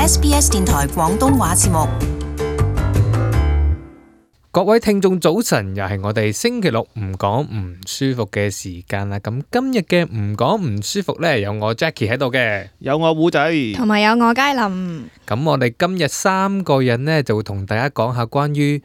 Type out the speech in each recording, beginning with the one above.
SBS 電台廣東話節目。各位聽眾早晨，又係我哋星期六唔講唔舒服嘅時間啦。咁今日嘅唔講唔舒服呢，有我 Jackie 喺度嘅，有我胡仔，同埋有我佳琳。咁我哋今日三個人呢，就會同大家講下關於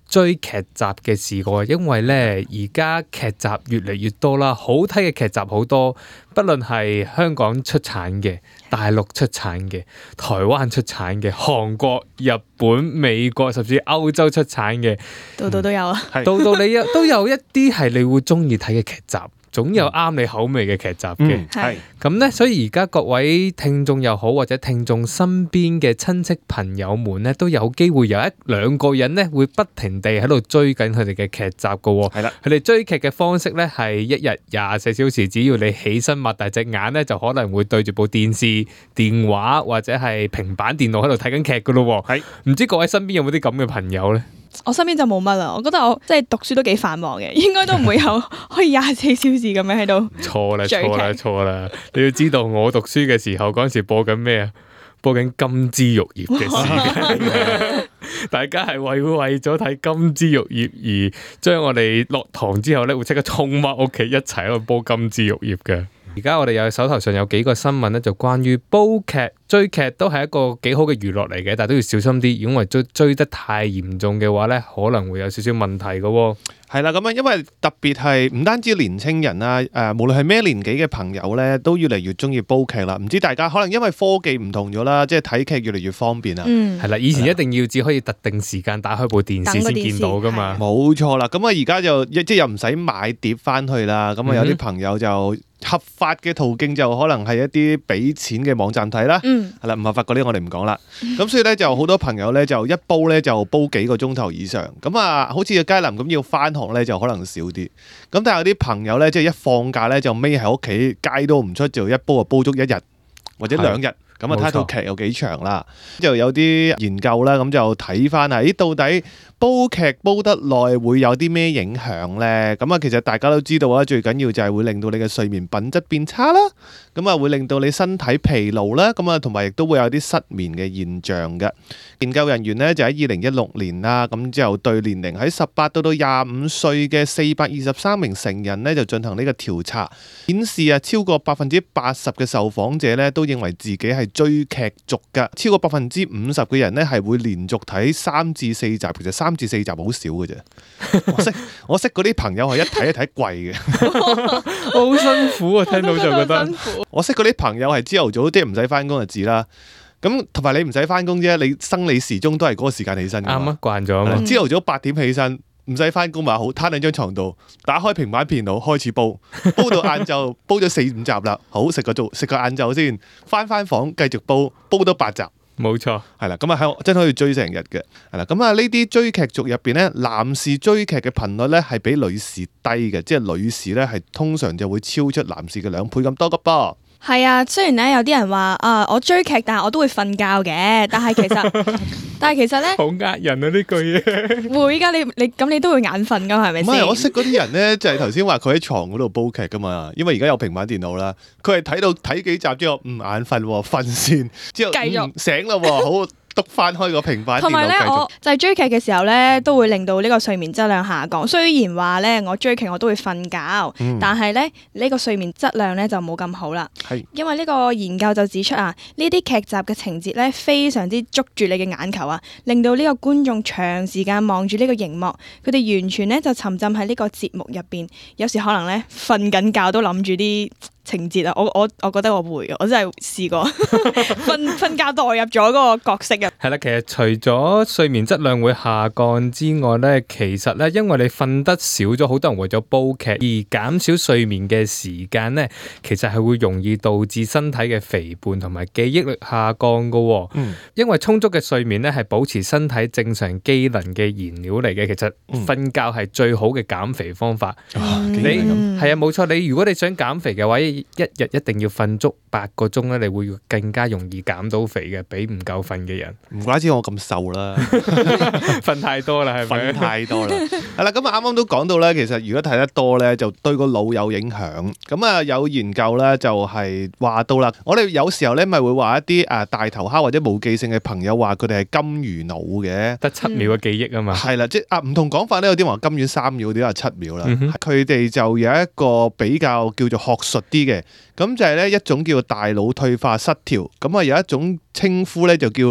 追劇集嘅事個，因為呢而家劇集越嚟越多啦，好睇嘅劇集好多，不論係香港出產嘅、大陸出產嘅、台灣出產嘅、韓國、日本、美國甚至歐洲出產嘅，度度都有啊，度度你都有一啲係你會中意睇嘅劇集。總有啱你口味嘅劇集嘅，係咁呢，所以而家各位聽眾又好，或者聽眾身邊嘅親戚朋友們呢，都有機會有一兩個人呢，會不停地喺度追緊佢哋嘅劇集㗎喎。係啦，佢哋追劇嘅方式呢，係一日24小時，只要你起身擘大隻眼呢，就可能會對住部電視、電話或者係平板電腦喺度睇緊劇㗎咯。係，唔知各位身邊有冇啲咁嘅朋友呢？我身邊就冇乜啦。我覺得我即係讀書都幾繁忙嘅，應該都唔會有可以24小時咁樣喺度。錯啦！你要知道，我讀書嘅時候嗰陣時播緊咩啊？播緊金枝玉葉嘅時間，大家係為咗睇金枝玉葉而將我哋落堂之後咧，會即刻衝返屋企一齊喺度煲金枝玉葉嘅。而家我哋有手頭上有幾個新聞咧，就關於煲劇、追劇都係一個幾好嘅娛樂嚟嘅，但係都要小心啲，如果追得太嚴重嘅話咧，可能會有少少問題嘅喎。係啦，咁樣因為特別係唔單止年青人啦，無論係咩年紀嘅朋友咧，都越嚟越中意煲劇啦。唔知大家可能因為科技唔同咗啦，即係睇劇越嚟越方便啦。係啦，以前一定要只可以特定時間打開部電視先見到噶嘛。冇錯啦，咁啊而家就即係又唔使買碟翻去啦。咁啊有啲朋友就合法嘅途徑就可能係一啲俾錢嘅網站睇啦。係啦，唔合法嗰啲我哋唔講啦。咁所以咧就好多朋友咧就一煲咧就煲幾個鐘頭以上。咁啊，好似阿佳琳咁要翻學咧就可能少啲。咁但係有啲朋友咧即係一放假咧就匿喺屋企街都唔出，就一煲就煲足一日或者2日。咁啊睇套劇有幾長啦，就有啲研究啦，咁就睇翻啊，到底煲劇煲得耐會有啲咩影響呢？咁啊，其實大家都知道啦，最緊要就係會令到你嘅睡眠品質變差啦，咁啊會令到你身體疲勞啦，咁啊同埋亦都會有啲失眠嘅現象嘅。研究人員呢，就喺2016年啦，咁之後對年齡喺18到25歲嘅423名成人呢，就進行呢個調查，顯示啊超過80%嘅受訪者呢，都認為自己係追劇族㗎，超過50%嘅人呢，係會連續睇3至4集，其實3至4集好少嘅啫。我識嗰啲朋友係一睇跪嘅，好辛苦啊！聽到就覺得，我識嗰啲朋友係朝頭早即係唔使翻工就知啦。咁同埋你唔使翻工啫，你生理時鐘都係嗰個時間起身㗎嘛。啱啊，慣咗啊嘛。朝頭早8點起身，唔使翻工咪好，攤喺張床度，打開平板電腦開始煲到晏晝，煲咗4-5集啦。好，食個晏晝先，翻房繼續煲到8集。冇錯，係啦，咁啊真可以追成日嘅。係啦，咁啊呢啲追劇族入邊咧，男士追劇嘅頻率咧係比女士低嘅，即係女士咧係通常就會超出男士嘅2倍咁多㗎噃。係啊，雖然咧有啲人話我追劇，但係我都會瞓覺嘅。但係其實咧，好呃人啊呢句嘢。會噶，你都會眼瞓噶，係咪先？唔係，我識嗰啲人咧，就係頭先話佢喺床嗰度煲劇噶嘛，因為而家有平板電腦啦，佢係睇幾集之後唔眼瞓，瞓先，之後繼續醒啦，好。篤翻開個平板電腦繼續。同埋咧，我就係追劇嘅時候咧，都會令到呢個睡眠質量下降。雖然話咧，我追劇我都會瞓覺，但係咧呢個睡眠質量咧就冇咁好啦。因為呢個研究就指出啊，呢啲劇集嘅情節咧非常之捉住你嘅眼球啊，令到呢個觀眾長時間望住呢個熒幕，佢哋完全咧就沉浸喺呢個節目入邊，有時可能咧瞓緊覺都諗住啲情節啊。我覺得我會，我真係試過瞓覺代入咗嗰個角色啊。係啦，其實除咗睡眠質量會下降之外咧，其實咧因為你瞓得少咗，好多人為咗煲劇而減少睡眠嘅時間咧，其實係會容易導致身體嘅肥胖同埋記憶力下降噶。因為充足嘅睡眠咧係保持身體正常機能嘅燃料嚟嘅。其實瞓覺係最好嘅減肥方法。你係啊，冇錯。你如果你想減肥嘅話，一日一定要瞓足8個鐘咧，你會更加容易減到肥嘅，比唔夠瞓嘅人。唔怪之我咁瘦啦，瞓太多啦，係咪？瞓太多啦。係啦，咁啊啱啱都講到咧，其實如果睇得多咧，就對個腦有影響。咁啊有研究咧就係話到啦，我哋有時候咧咪會話一啲大頭蝦或者冇記性嘅朋友話佢哋係金魚腦嘅，得7秒嘅記憶啊嘛。係啦，即係唔同講法咧，有啲話金魚3秒，有啲話7秒啦。佢哋就有一個比較叫做學術啲嘅，咁就係咧一種叫大腦退化失調，咁啊有一種稱呼咧就叫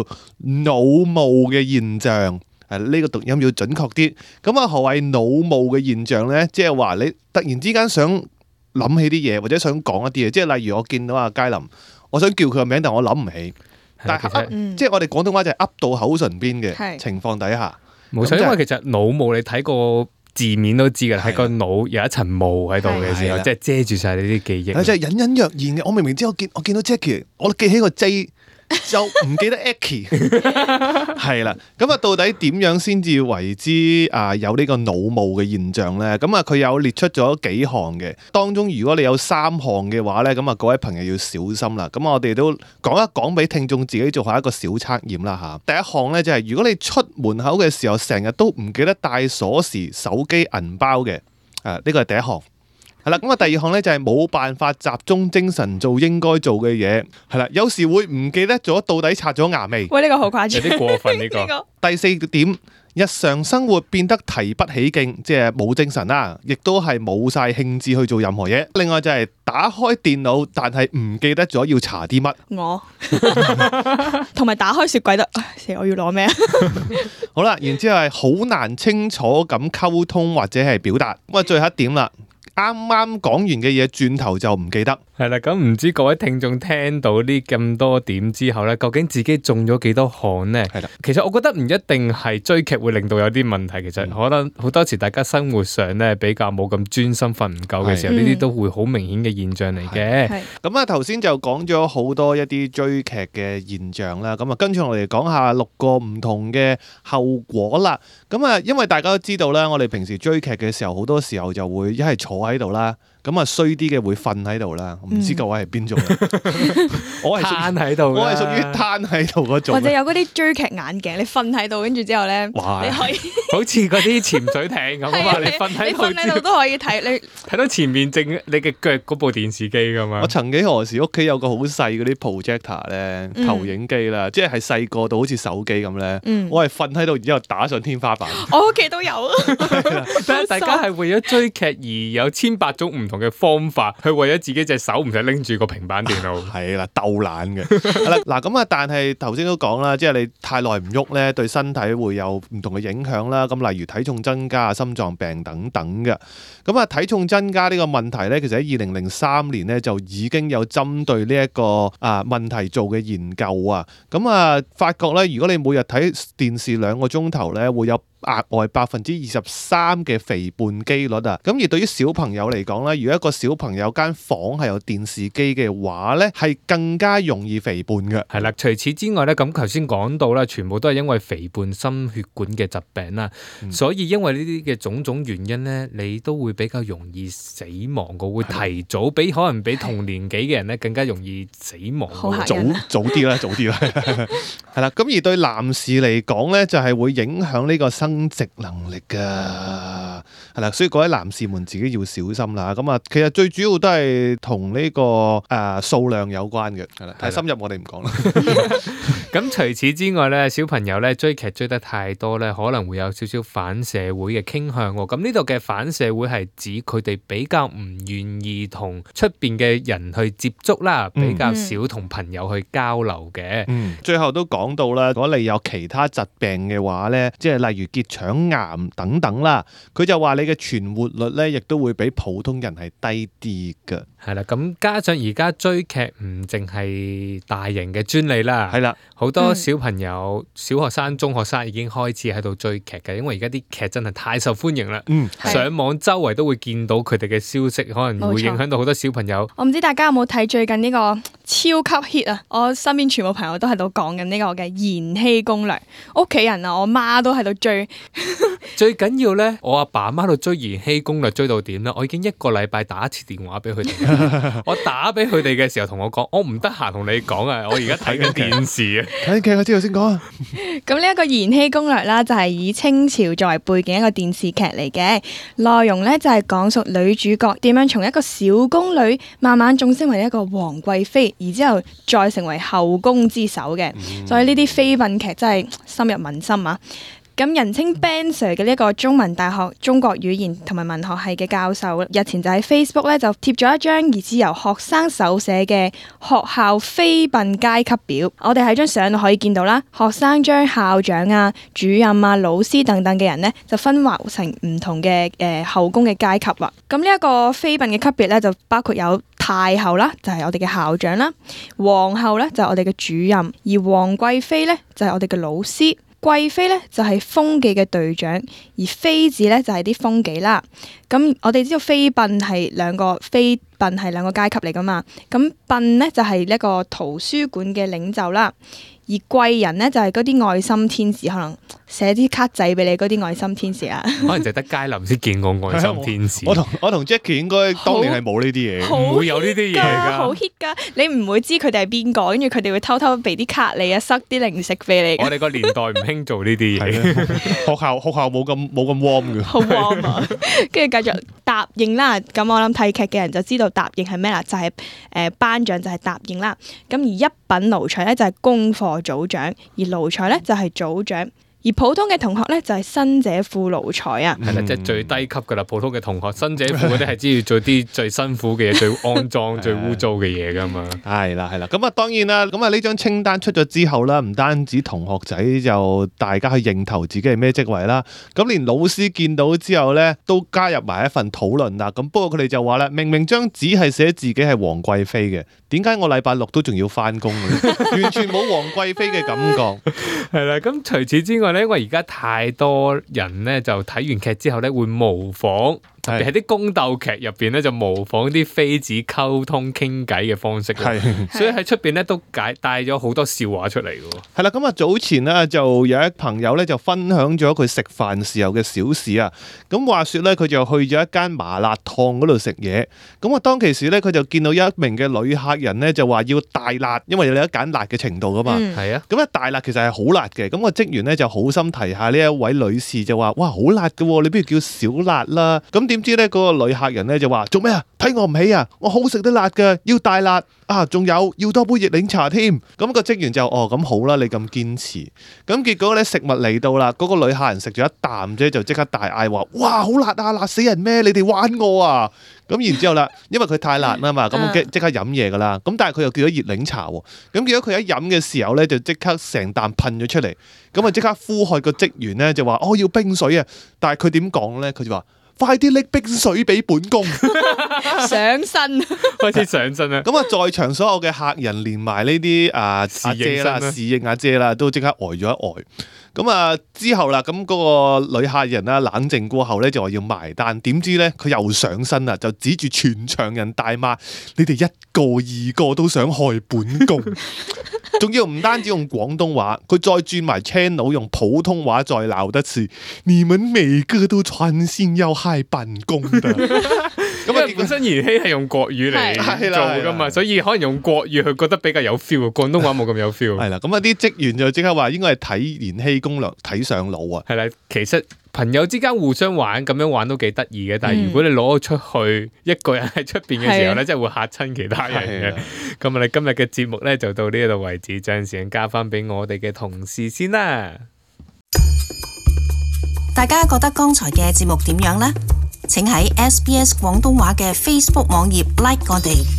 腦霧嘅現象。呢個讀音要準確啲。咁啊何謂腦霧嘅現象咧？即係話你突然之間想諗起啲嘢，或者想講一啲嘢，即係例如我見到阿佳林，我想叫佢個名，但我諗唔起。但係即係我哋廣東話就係噏到口唇邊嘅情況底下，冇錯，因為其實腦霧你睇個字面都知㗎，喺個腦有一層霧喺度嘅時候，即係遮住晒你啲記憶。即係隱隱約現嘅。我明明知我見到 Jackie， 我記起個 J。就唔記得 Aki 係啦，咁啊到底點樣先至為之有呢個腦霧嘅現象咧？咁啊佢有列出咗幾項嘅，當中如果你有3項嘅話咧，咁啊各位朋友要小心啦。咁我哋都講一講俾聽眾自己做下一個小測驗啦嚇。第一項咧就係如果你出門口嘅時候成日都唔記得帶鎖匙、手機、銀包嘅，呢個係第一項。係啦，咁啊第二項咧就係冇辦法集中精神做應該做嘅嘢，係啦，有時會唔記得咗到底刷咗牙未？喂，呢個好誇張，有啲過分呢個。第4點，日常生活變得提不起勁，即係冇精神啦，亦都係冇晒興致去做任何嘢。另外就係打開電腦，但係唔記得咗要查啲乜。我同埋打開雪櫃都，我要攞咩啊？好啦，然之後係好難清楚咁溝通或者係表達。咁啊，最後一點啦。啱啱講完嘅嘢，轉頭就唔記得。係啦，咁唔知各位聽眾聽到呢咁多點之後呢，究竟自己中咗幾多項呢？係啦，其實我覺得唔一定係追劇會令到有啲問題，其實可能好多時大家生活上呢比較冇咁專心，瞓唔夠嘅時候，呢啲都會好明顯嘅現象嚟嘅。咁啊，頭先就講咗好多一啲追劇嘅現象啦。咁啊，跟住我哋講下6個唔同嘅後果啦。咁啊，因為大家都知道啦，我哋平時追劇嘅時候，好多時候就會一係坐喺度啦。咁啊衰啲嘅會瞓喺度啦，唔知各位係邊種？我係攤喺度，我係屬於攤喺度嗰種。或者有嗰啲追劇眼鏡，你瞓喺度，跟住之後咧，你可以好似嗰啲潛水艇咁啊！你瞓喺度都可以睇，你睇到前面正你嘅腳嗰部電視機噶嘛。我曾幾何時屋企有個好細嗰啲 projector 咧，投影機啦，即係細個到好似手機咁咧。我係瞓喺度，然之後打上天花板。我屋企都有啊。大家係為咗追劇而有1,800種唔同嘅方法，去為咗自己隻手唔使拎住個平板電腦。係啦，鬥懶嘅。嗱咁啊，但係頭先都講啦，即係你太耐唔喐咧，對身體會有唔同嘅影響啦。咁例如體重增加啊、心臟病等等嘅。咁啊，體重增加呢個問題咧，其實喺2003年咧就已經有針對呢一個問題做嘅研究啊。咁啊，發覺咧，如果你每日睇電視2個鐘頭咧，會有額外23%嘅肥胖機率啊！咁而對於小朋友嚟講咧，如果一個小朋友間房係有電視機嘅話咧，係更加容易肥胖嘅。係啦，除此之外咧，咁頭先講到啦，全部都係因為肥胖心血管嘅疾病啦，所以因為呢啲嘅種種原因咧，你都會比較容易死亡嘅，會提早比可能比同年紀嘅人咧更加容易死亡。早啲啦，係啦。咁而對男士嚟講咧，就係會影響呢個生殖能力噶，係啦，所以各位男士們自己要小心啦。咁啊，其實最主要都係同呢個數量有關嘅，係啦，太深入我哋唔講啦。咁除此之外咧，小朋友咧追劇追得太多咧，可能會有少少反社會嘅傾向。咁呢度嘅反社會係指佢哋比較唔願意同出邊嘅人去接觸啦，比較少同朋友去交流嘅。最後都講到啦，如果你有其他疾病嘅話咧，即係例如結腸癌等等啦，佢就話你嘅存活率咧，亦都會比普通人係低啲㗎。係啦，咁加上而家追劇唔淨係大型嘅專利啦，係啦，好多小朋友、小學生、中學生已經開始喺度追劇嘅，因為而家啲劇真係太受歡迎啦。上網周圍都會見到佢哋嘅消息，可能會影響到好多小朋友。我唔知大家有冇睇最近呢個超級 hit 啊！我身邊全部朋友都喺度講緊呢個嘅《延禧攻略》，屋企人啊，我媽都喺度追。最緊要咧，我阿爸阿媽度追《延禧攻略》追到點咧？我已經1個禮拜打一次電話俾佢哋。我打俾佢哋嘅時候，同我講：我唔得閒同你講啊，我而家睇緊電視啊。睇劇我之後先講啊。咁呢一個《延禧攻略》啦，就係以清朝作為背景一個電視劇嚟嘅，內容咧就係講述女主角點樣從一個小宮女慢慢晉升為一個皇貴妃，而之後再成為後宮之首嘅。所以呢啲妃嬪劇真係深入民心啊！咁人稱 Ben Sir 嘅呢一個中文大學中國語言同埋文學系嘅教授，日前就喺 Facebook 咧就貼咗一張疑似由學生手寫嘅學校妃嬪階級表。我哋喺張相度可以見到啦，學生將校長啊、主任啊、老師等等嘅人呢，就分劃成唔同嘅後宮嘅階級啦。咁呢一個妃嬪嘅級別咧，就包括有太后啦，就係我哋嘅校長啦；皇后咧就係我哋嘅主任，而皇貴妃咧就係我哋嘅老師。貴妃咧就係風紀嘅隊長，而妃子咧就係啲風紀啦。咁我哋知道妃嬪係兩個階級嚟噶嘛，咁嬪咧就係一個圖書館嘅領袖啦。而貴人咧就係嗰啲愛心天使，可能寫啲卡仔俾你嗰啲愛心天使啊。可能就得佳林先見過愛心天使。我同 Jackie 應該當年係冇呢啲嘢，唔會有呢啲嘢㗎。好 hit 㗎，你唔會知佢哋係邊個，跟住佢哋會偷偷俾啲卡你啊，塞啲零食俾你。我哋個年代唔興做呢啲嘢。學校冇咁 warm 嘅。好 warm 啊！跟住繼續答應啦。咁我諗睇劇嘅人就知道答應係咩啦，就係頒獎就係答應啦。咁而一品奴才咧就係功課組長，而奴才咧就係組長。而普通嘅同學咧就係新姐副奴才啊，係啦，即係最低級噶啦。普通嘅同學，新姐副嗰啲係知要做啲最辛苦嘅嘢，最骯髒、最污糟嘅嘢噶嘛。係啦，咁啊，當然啦，咁啊呢張清單出咗之後啦，唔單止同學仔就大家去認頭自己係咩職位啦，咁連老師見到之後咧都加入埋一份討論啦。咁不過佢哋就話啦，明明張紙係寫自己係皇貴妃嘅，點解我禮拜六都仲要翻工嘅？完全冇皇貴妃嘅感覺。係啦，咁除此之外咧，因為而家太多人咧就睇完劇之後咧會模仿。特別係啲宮鬥劇入邊咧，就模仿啲妃子溝通傾偈嘅方式，所以喺出邊咧都帶咗好多笑話出嚟嘅。係啦，咁啊早前咧就有一朋友咧就分享咗佢食飯時候嘅小事啊。咁話說咧，佢就去咗一間麻辣燙嗰度食嘢。咁啊當其時咧，佢就見到一名嘅女客人咧就話要大辣，因為你有得揀辣嘅程度噶嘛。係啊。咁啊大辣其實係好辣嘅。咁個職員咧就好心提下呢一位女士就話：哇，好辣㗎，你不如叫少辣啦。咁點知咧嗰個女客人咧就話：做咩啊？睇我唔起啊！我好食得辣㗎，要大辣啊！仲有要多杯熱檸茶添。咁個職員就：哦，咁好啦，你咁堅持。咁結果咧食物嚟到啦，嗰個女客人食咗一啖啫，就即刻大嗌話：哇，好辣啊！辣死人咩？你哋玩我啊！咁然之後啦，因為佢太辣啦嘛，咁即刻飲嘢噶啦。咁但係佢又叫咗熱檸茶喎。咁結果佢一飲嘅時候咧，就即刻成啖噴咗出嚟。咁啊即刻呼喝個職員咧，就話：哦，要冰水啊！但係佢點講咧？佢就話：快啲拎冰水俾本宮上身，開始上身啦！咁啊，在場所有嘅客人連埋呢啲阿姐啦、侍應阿姐啦，都即刻呆咗一呆。咁啊之後啦，咁嗰個女客人啦冷靜過後咧，就話要埋單。點知咧佢又上身啦，就指住全場人大罵：你哋一個二個都想害本宮！仲要唔單止用廣東話，佢再轉埋 channel 用普通話再鬧得次，你們每個都存心要害本宮的。咁啊，本身延禧係用國語嚟做噶嘛，所以可能用國語佢覺得比較有 feel， 廣東話冇咁有 feel。係啦，咁啊啲職員就即刻話應該係睇《延禧攻略》睇上腦啊。係啦，其實朋友之間互相玩咁樣玩都幾得意嘅，但係如果你攞咗出去，一個人喺出邊嘅時候咧，真係會嚇親其他人嘅。咁你今日嘅節目咧就到呢度為止，將時間交翻俾我哋嘅同事先啦。大家覺得剛才嘅節目點樣呢？請喺SBS 廣東話嘅 Facebook 網頁 like 我哋。